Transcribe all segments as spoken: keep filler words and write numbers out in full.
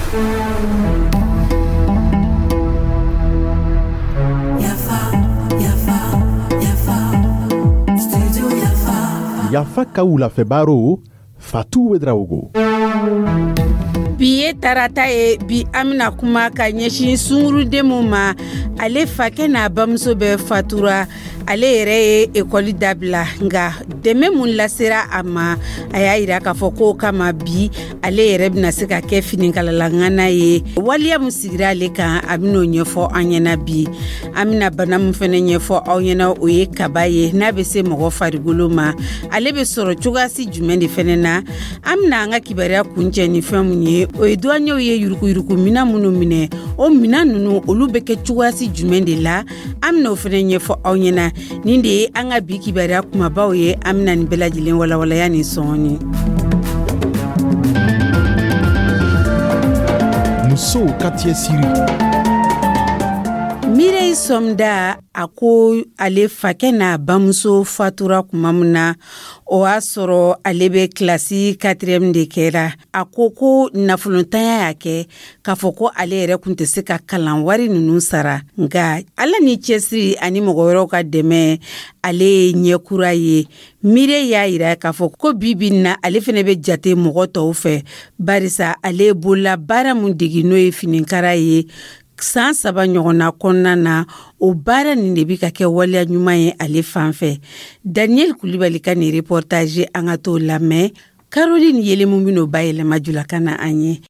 Yafa, yafa, yafa, studio Yafa. Yafa ka wulafɛ Fatou Ouédraogo. Bi ye tarata ye. Bi, an bena kuma ka ɲɛsin sunguruden mun ma, ale fakɛ n'a bamuso bɛ fatura, ale yɛrɛ ye ekɔli dabila, nga dɛmɛ mun lasera a ma, a y'a yira k'a fɔ k'o kama bi ale yɛrɛ bɛna se ka kɛ finikalala ye. Waleya mun sigira ale kan, a ben'o ɲɛfɔ an ɲɛna. Bi, an bena bana mun fɛnɛ ɲɛfɔ aw ɲɛna, o ye kaba ye. N'a be se mɔgɔ farigolo ma, ale be sɔrɔ cogoyasi jumɛn de fɛnɛ na? An bena an ka kibaruya kuncɛ ni fɛn mun ye, o ye duwanɲɛw ye yurukuyuruku mina minnu minɛ. O mina nunu, olu bɛ kɛ cogoyasi jumɛn de la? An bena o fɛnɛ ɲɛfɔ aw ɲɛna. Nin de ye an ka bi kibaruya kumabaw ye. An bena nin bɛɛ lajɛlen walawalaya nin sɔngɔni. Musow ka cɛsiri. Mireille Somda, a ko ale fakɛ n'a bamuso fatura kuma min na, o y'a sɔrɔ ale bɛ kilasi quatrième de kɛra. A ko ko nafolontanya y'a kɛ k'a fɔ ko ale yɛrɛ kun tɛ se ka kalan wari ninnu sara, nka Ala ni cɛsiri ani mɔgɔ wɛrɛw ka dɛmɛ, ale ye ɲɛkura ye. Mireille y'a yira k'a fɔ ko bi bi na, ale fɛnɛ bɛ jate mɔgɔ tɔw fɛ, barisa ale ye bolola baara mun degi, n'o ye finikara ye, san saba ɲɔgɔnna kɔnɔna na, o baara nin de bi ka kɛ waleya ɲuman ye ale fan fɛ. Daniel Kulibali ka nin reportage, an ka t'o lamɛn. Caroline Yelemu bin'o bayɛlɛma julakan na an ye.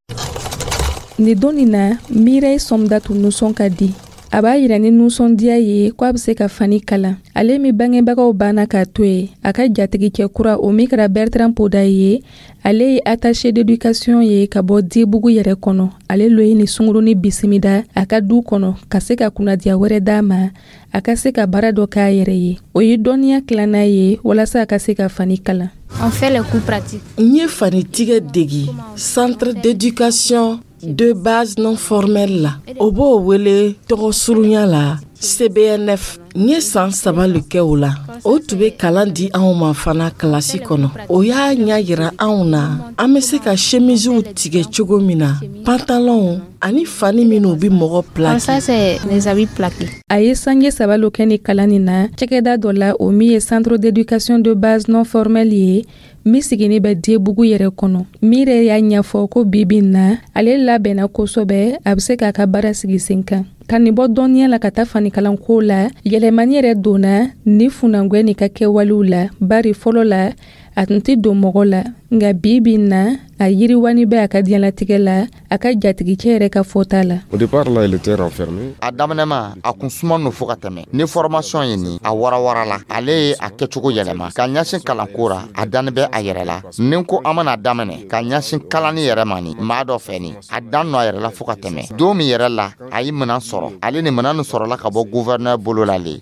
Nin don nin na, Mireille Somda tun nisɔn ka di. A b'a yira ni nisɔndiya ye ko a bɛ se ka fani kalan. Ale min bangebagaw banna k'a to yen, a ka jatigikɛ kura, o min kɛra Bertrand Poda ye, ale ye attaché d'éducation ye ka bɔ Dibugu yɛrɛ kɔnɔ, ale lo ye ni sunguruni bisimila a ka du kɔnɔ ka se ka kunnadiya wɛrɛ d'a ma, a ka se ka baara dɔ k'a yɛrɛ ye. O ye dɔnniya tilanna ye walasa a ka se ka fani kalan. On fait les cours pratiques. N ye fanitigɛ degi centre d'éducation de base non formelle la, o b'o wele tɔgɔ surunya la C B N F. N ye san saba le kɛ o la. O tun bɛ kalan di anw ma fana kilasi kɔnɔ. O y'a ɲɛ yira anw na an bɛ se ka chemisiw tigɛ cogo min na, pantalonw ani fani minnu bɛ mɔgɔ Comme ça, plaqué. C'est les habits plaqués. A ye sange saba lo kɛ ni kalan nin na cakɛda dɔ la, o min ye centre d'éducation de base non formelle ye, min sigini bɛ Dibugu yɛrɛ kɔnɔ. Mireille y'a ɲɛfɔ ko bibi na, ale labɛnna kosɛbɛ, a bɛ se k'a ka baara sigi sen kan. Ka nin bɔ dɔnniya la ka taa fanikalanko la, yɛlɛmani yɛrɛ donna ni funangwɛ nin ka kɛwalew la, bari fɔlɔ la, a tun tɛ don mɔgɔ la, nka bi bi na, a yiriwani bɛ a ka diɲɛlatigɛ la, a ka jatigicɛ yɛrɛ ka fɔta la. Au départ, là, il était renfermé. A daminɛma, a kun suman no fo ka tɛmɛ ni formation ye. Nin a warawara la, ale ye a kɛcogo yɛlɛma ka ɲɛsin kalanko ra. A dani bɛ a yɛrɛ la. Ni ko an mana daminɛ ka ɲɛsin kalani yɛrɛ ma ni maa dɔ fɛ, ni a dan nɔ a yɛrɛ la fo ka tɛmɛ. Don min yɛrɛ la a ye minan sɔrɔ, ale ni minan nin sɔrɔla ka bɔ gouverneur bolo la le,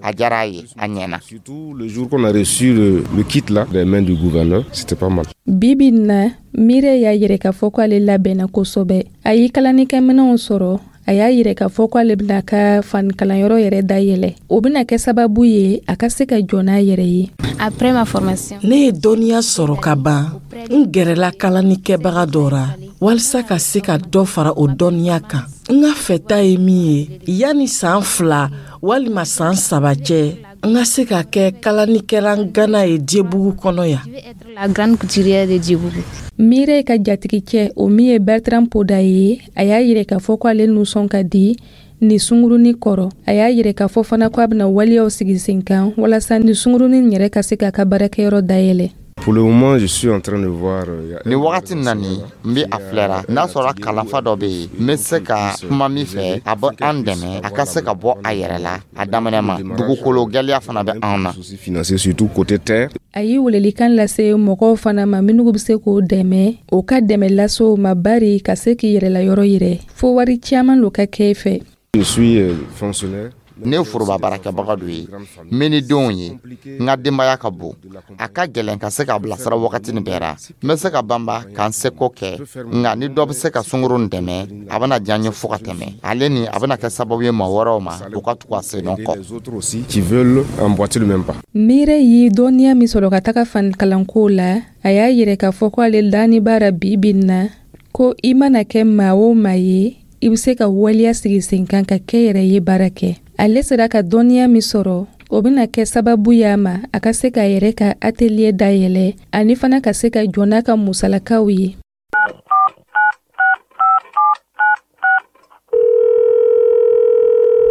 a diyara a ye, a ɲɛna. Surtout le jour qu'on a reçu le, le kit là des mains du gouverneur, c'était pas mal. Bibi na, Mireille y'a yɛrɛ k'a fɔ ko ale labɛnna kosɛbɛ. A ye kalanikɛminɛw sɔrɔ. A y'a yɛrɛ k'a fɔ ko ale bɛna ka fanikalanyɔrɔ yɛrɛ dayɛlɛ. O bɛna kɛ sababu ye a ka se ka jɔ n'a yɛrɛ ye. Après ma formation, Ne ye dɔnniya sɔrɔ ka ban, n gɛrɛla kalanikɛbaga dɔ ra walisa ka se ka dɔ fara o dɔnniya kan. N ka fɛta ye min ye, yanni san fila walima san saba cɛ, n ka se ka kɛ kalanikɛla gana ye Dibugu kɔnɔ yan. Je vais être la grande couturière de Djibouti. Mireille ka jatigicɛ, o min ye Bertrand Poda ye, a y'a yɛrɛ k'a fɔ ko ale nisɔn ka di ni sunguruni kɔrɔ. A y'a yɛrɛ k'a fɔ fana ko a bɛna waleyaw sigi sen kan walasa ni sungurunin yɛrɛ ka se k'a ka baarakɛyɔrɔ dayɛlɛ. Pour le moment, je suis en train de voir. euh, Ni wagati nin na nin, n be a filɛra n'a sɔrɔ kalanfa dɔ be yen, n be se ka kuma min fɛ, a bɛ an dɛmɛ a ka se ka bɔ a yɛrɛ la. A daminɛ ma, dugukolo gwɛlɛya fana bɛ anw na. Soucis financiers, surtout côté terre. A ye welelikan lase mɔgɔw fana ma minnu bɛ se k'o dɛmɛ, o ka dɛmɛ lase o ma, bari ka se k'i yɛrɛla yɔrɔ yɛrɛ, fo wari caman lo ka kɛ fɛ. Je suis euh, fonctionnaire. Ne ye foroba baarakɛbaga dɔ ye, n bɛ ni denw ye, n ka denbaya ka bon, a ka gɛlɛn ka se k'a bilasira wagati nin bɛɛ ra. N bɛ se ka banba ka n seko kɛ, nka ni dɔ bɛ se ka sunguru nin dɛmɛ, a bɛna diya n ye fo ka tɛmɛ. Ale ni a bɛna kɛ sababu ye maa wɛrɛw ma, u ka tugu a sen kɔ. Les autres aussi qui veulent emboîter le même pas. Mireille ye dɔnniya min sɔrɔ ka taga fanikalanko la, a y'a yɛrɛ k'a fɔ ko ale dani baara bi bi na. Ko i mana kɛ maa o maa ye, i bɛ se ka waleya sigi sen kan ka kɛ yɛrɛ ye baara kɛ. Ale sera ka dɔnniya min sɔrɔ, o bɛna kɛ sababu y'a ma a ka se k'a yɛrɛ ka atelier dayɛlɛ, ani fana ka se ka jɔ n'a ka musalakaw ye.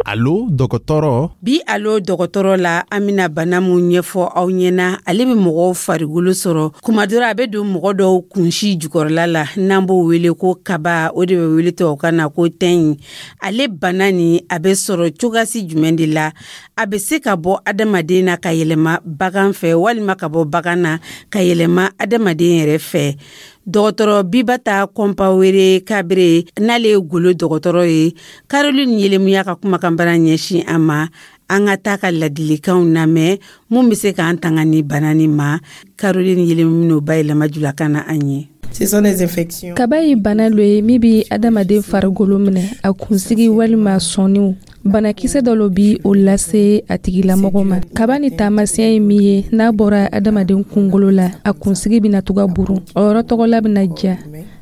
Alo dɔgɔtɔrɔ. Bi alo dɔgɔtɔrɔ la, an bɛna bana mun ɲɛfɔ aw ɲɛna, ale bɛ mɔgɔw farikolo sɔrɔ kuma dɔ la, a bɛ don mɔgɔ dɔw kunsi jukɔrɔla la, n'an b'o wele ko kaba, o de bɛ wele tubabukan na ko tɛn. Ale bana nin, a bɛ sɔrɔ cogoyasi jumɛn de la? A bɛ se ka bɔ adamaden na ka yɛlɛma bagan fɛ, walima ka bɔ bagan na ka yɛlɛma adamaden yɛrɛ fɛ? Dɔgɔtɔrɔ Bibata Kɔnpawere Kabere, n'ale ye golo dɔgɔtɔrɔ ye, Caroline Yelemuya ka kumakanbara ɲɛsin an ma. An ka taa ka ladilikanw lamɛn mun bɛ se k'an tanga ni bana nin ma. Caroline Yelemu n'o bayɛlɛma julakan na an ye. Kaba ye bana lo ye min bɛ adamaden farikolo minɛ, a kunsigi walima sɔnniw. Banakisɛ dɔ lo bi o lase a tigilamɔgɔ ma. Kaba ni taamasiyɛn ye min ye, n'a bɔra adamaden kunkolo la, a kunsigi bɛna to ka burun, o yɔrɔ tɔgɔla bɛna ja.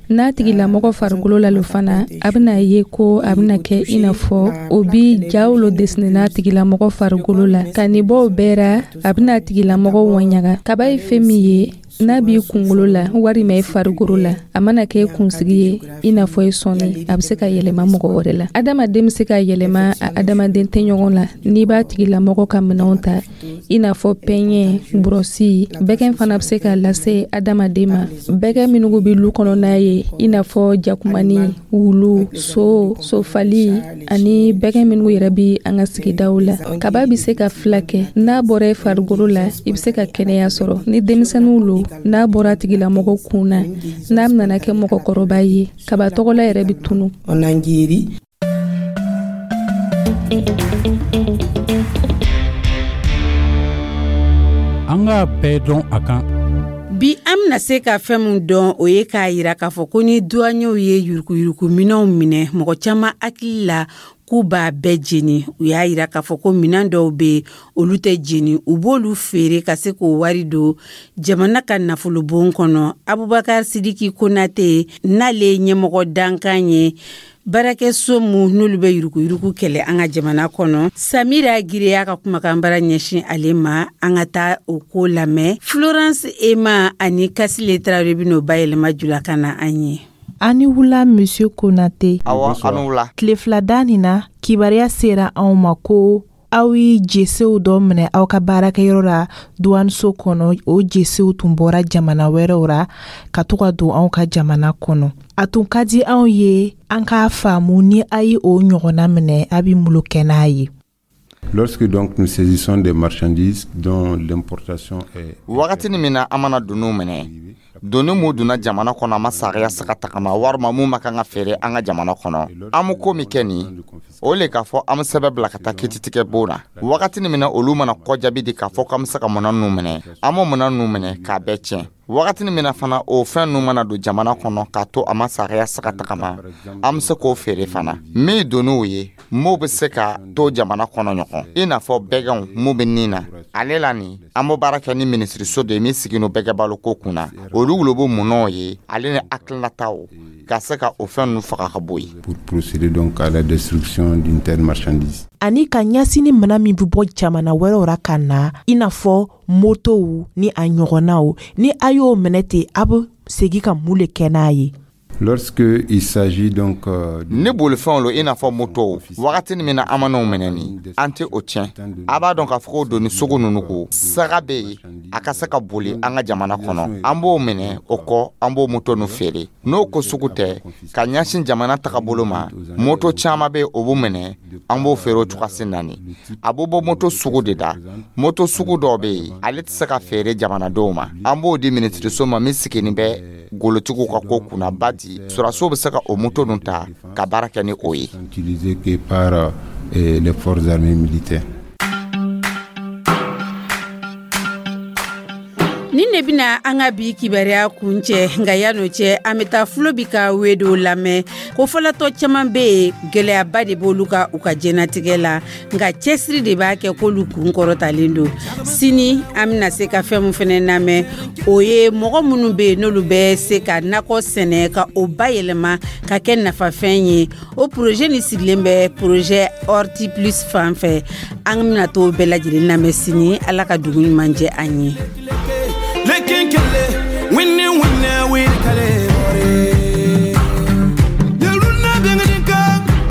N'a tigilamɔgɔ farikolo la lo fana, a bɛna ye ko a bɛna kɛ i n'a fɔ o bi jaw lo dessiné n'a tigilamɔgɔ farikolo la. Ka nin bɔ o bɛɛ ra, a bɛna a tigilamɔgɔ wɔɲaga. Kaba ye fɛn min ye, n'a b'i kunkolo la walima i farikolo la, a mana kɛ kunsigi ye i n'a fɔ i sɔnni, a bɛ se ka yɛlɛma mɔgɔ wɛrɛ la. Adamaden bɛ se ka yɛlɛma a adamaden tɛɲɔgɔn la n'i b'a tigilamɔgɔ ka minɛnw ta, i n'a fɔ pɛɲɛ, burɔsi. Bɛgɛn fana bɛ se ka lase adamaden ma, bɛgɛn minnu bɛ lu kɔnɔna ye, i n'a fɔ jakumani, wulu, so, sofali ani bɛgɛn minnu yɛrɛ bɛ an ka sigidaw la. Kaba bɛ se ka fila kɛ, n'a bɔra i farikolo la, i bɛ se ka kɛnɛya sɔrɔ. Ni denmisɛnninw lo, n'a bɔra tigilamɔgɔ kun na, n'a nana kɛ mɔgɔkɔrɔba ye, kaba tɔgɔla yɛrɛ bɛ tunu. An k'a bɛɛ dɔn a kan. Bi an bɛna se ka fɛn min dɔn, o ye k'a yira k'a fɔ ko ni duwanyew ye yuruguyuruguminɛnw minɛ, mɔgɔ caman hakili la k'u b'a bɛɛ jeni. U y'a yira k'a fɔ ko minɛn dɔw bɛ yen, olu tɛ jeni, u b'olu feere ka se k'o wari don jamana ka nafolobon kɔnɔ. Abubakar Sidiki Konate, n'ale ye ɲɛmɔgɔ dankan ye baarakɛso mun n'olu bɛ yuruguyurugu kɛlɛ an ka jamana kɔnɔ, Samira Gire y'a ka kumakanbara ɲɛsin ale ma. An ka taa o ko lamɛn. Florence Ema ani Kasile Tarawele bɛ n'o bayɛlɛma julakan na an ye. Ani wula, Monsieur Konate. Awɔ, ani wula. Tile fila da nin na, kibaruya sera anw ma ko aw ye jesew dɔ minɛ aw ka baarakɛyɔrɔ la duwaniso kɔnɔ. O jesew tun bɔra jamana wɛrɛw ra ka to ka don anw ka jamana kɔnɔ. A tun ka di anw ye an k'a faamu, ni a ye o ɲɔgɔnna minɛ, a bɛ mun kɛ n'a ye? Lorsque donc nous saisissons des marchandises dont l'importation est Wagati min na an mana doniw minɛ, doni mun donna jamana kɔnɔ a ma sariya sira tagama, walima mun ma kan ka feere an ka jamana kɔnɔ, an bɛ ko min kɛ nin o le k'a fɔ an bɛ sɛbɛn bila ka taa kiiritigɛ bon na. Wagati min na olu mana kɔjaabi di k'a fɔ k'an bɛ se ka minɛn ninnu minɛ, an b'o minɛn ninnu minɛ k'a bɛɛ tiɲɛ. Wagati min na fana o fɛn ninnu mana don jamana kɔnɔ k'a to a ma sariya sira tagama, an bɛ se k'o feere fana. Min doniw ye m'o bɛ se ka to jamana kɔnɔ ɲɔgɔn, i n'a fɔ bɛgɛnw mun bɛ nin na ale la nin, an bɛ baara kɛ ni minisiriso de ye min sigilen bɛgɛbalo ko kunna, olu wolo bɛ munɔw ye ale ni hakilinataw ka se ka o fɛn ninnu faga ka bɔ yen. Pour procéder donc à la destruction d'une telle marchandise. Ani ka ɲɛsin ni minɛn min bɛ bɔ jamana wɛrɛw ra ka na, i n'a fɔ motow ni a ɲɔgɔnnaw, ni a y'o minɛ ten, a bɛ segin ka mun le kɛ n'a ye? Lorsque il s'agit donc euh, ni bolifɛnw lo i n'a fɔ motow, wagati min na an man'o minɛ nin, an tɛ o tiɲɛ. A b'a dɔn k'a fɔ ko doni sugu ninnu ko saga bɛ yen a ka se ka boli an ka jamana kɔnɔ, an b'o minɛ, o kɔ an b'o moto ninnu feere. N'o ko sugu tɛ ka ɲɛsin jamana tagabolo ma, moto caman bɛ o b'o minɛ, an b'o feere o cogoya naani. A b'o bɔ moto sugu de da. Moto sugu dɔw bɛ yen, ale tɛ se ka feere jamanadenw ma, an b'o di minisiriso ma min sigilen bɛ golotigiw ka ko kunna ba di sɔrɔdasiw bɛ se ka o moto ninnu ta ka baara kɛ ni o ye. Utilisé que par euh, les forces armées militaires. Nin de bɛna an ka bi kibaruya kuncɛ. Nka yan'o cɛ, an bɛ taa Fulobi ka wedo lamɛn ko fɔlɔtɔ caman bɛ yen, gɛlɛyaba de b'olu ka u ka jɛnatigɛ la, nka cɛsiri de b'a kɛ k'olu kun kɔrɔtalen don. Sini an bɛna se ka fɛn min fana lamɛn, o ye mɔgɔ minnu bɛ yen, n'olu bɛ se ka nakɔ sɛnɛ ka o bayɛlɛma ka kɛ nafafɛn ye. O projet nin sigilen bɛ projet Horti Plus fan fɛ. An bɛna t'o bɛɛ lajɛlen lamɛn sini. Ala ka dugu ɲuman jɛ an ye. Lekenkele winni winne wili kale bore Yeruna bengadinka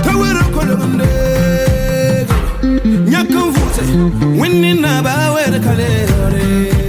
tawere kolonde Nyakan vute winni na ba were kale bore.